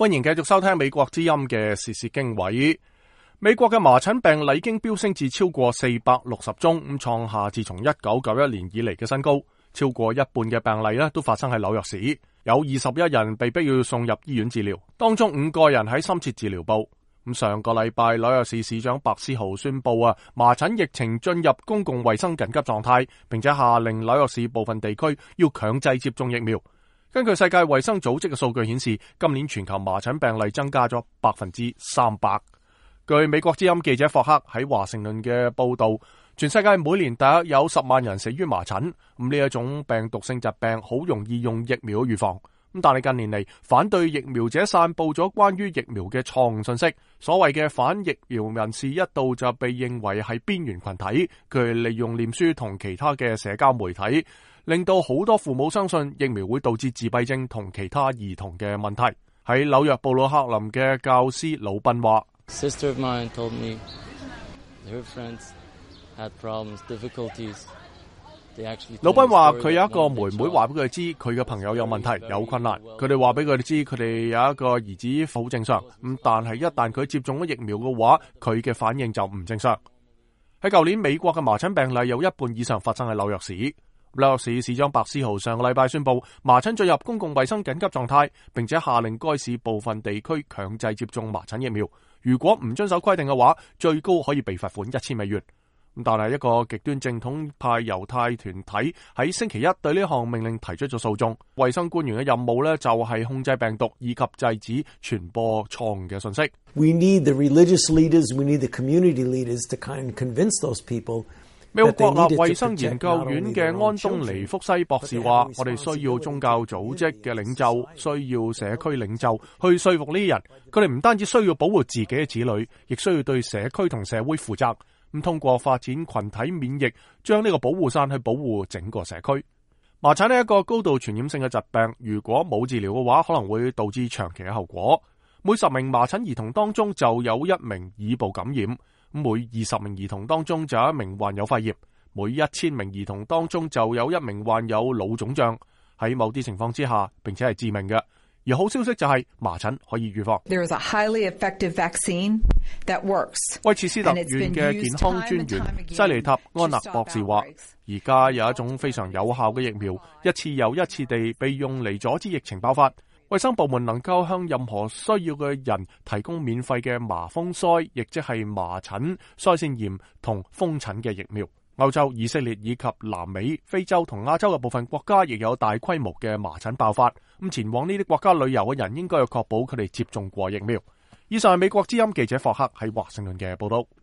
歡迎繼續收聽美國之音嘅時事經緯。美國嘅麻疹病例已經飆升至超過460宗，咁創下自從1991年以嚟嘅新高。超過一半嘅病例都發生喺紐約市，有21人被逼要送入醫院治療，當中5個人喺深切治療部。上個禮拜紐約市市長白思豪宣布麻疹疫情進入公共衛生緊急狀態，並且下令紐約市部分地區要強制接種疫苗。根據世界衛生組織嘅數據顯示，今年全球麻疹病例增加咗300%。據美國之音記者霍克喺華盛頓嘅報道，全世界每年大約有10萬人死於麻疹。呢一種病毒性疾病好容易用疫苗預防。但係近年嚟，反對疫苗者散布咗關於疫苗嘅錯誤信息。所謂嘅反疫苗人士一度就被認為係邊緣群體，佢利用臉書同其他嘅社交媒體，令到好多父母相信疫苗會導致自閉症同其他兒童嘅問題。喺紐約布魯克林嘅教師魯賓話：Sister of mine told me her friends had problems, difficulties. 魯賓話佢有一個妹妹話俾佢知佢嘅朋友有問題有困難，佢哋話俾佢哋知佢哋有一個兒子好正常，但係一旦佢接種咗疫苗嘅話，佢嘅反應就唔正常。喺舊年美國嘅麻疹病例有一半以上發生喺紐約市。紐約市市長白思豪上個禮拜宣布麻疹進入公共衛生緊急狀態，並且下令該市部分地區強制接種麻疹疫苗，如果唔遵守規定嘅話，最高可以被罰款$1000。但係一個極端正統派猶太團體喺星期一對呢項命令提出咗訴訟。衛生官員嘅任務就係控制病毒以及制止傳播錯誤嘅信息。We need the religious leaders, we need the community leaders to kind of convince those people. 美國國立衛生研究院嘅安東尼福西博士話：我哋需要宗教組織嘅領袖，需要社區領袖去說服呢啲人。佢哋唔單止需要保護自己嘅子女，亦需要對社區同社會負責。通過發展群體免疫，將呢個保護傘去保護整個社區。麻疹係一個高度傳染性嘅疾病，如果冇治療嘅話，可能會導致長期嘅後果。每10名麻疹兒童當中就有1名耳部感染，每20名兒童當中就有1名患有肺炎，每1000名兒童當中就有1名患有腦腫脹。喺某啲情況之下，並且係致命嘅。而好消息就係麻疹可以預防。There is a highly effective vaccine that works. 威切斯特縣嘅健康專員西尼塔安納博士話：而家有一種非常有效嘅疫苗，一次又一次地被用嚟阻止疫情爆發。衛生部門能夠向任何需要嘅人提供免費嘅麻風腮，亦即係麻疹、腮腺炎同風疹嘅疫苗。歐洲、以色列以及南美、非洲同亞洲嘅部分國家亦有大規模嘅麻疹爆發。前往呢啲國家旅遊嘅人應該要確保佢哋接種過疫苗。以上係美國之音記者霍克喺華盛頓嘅報道。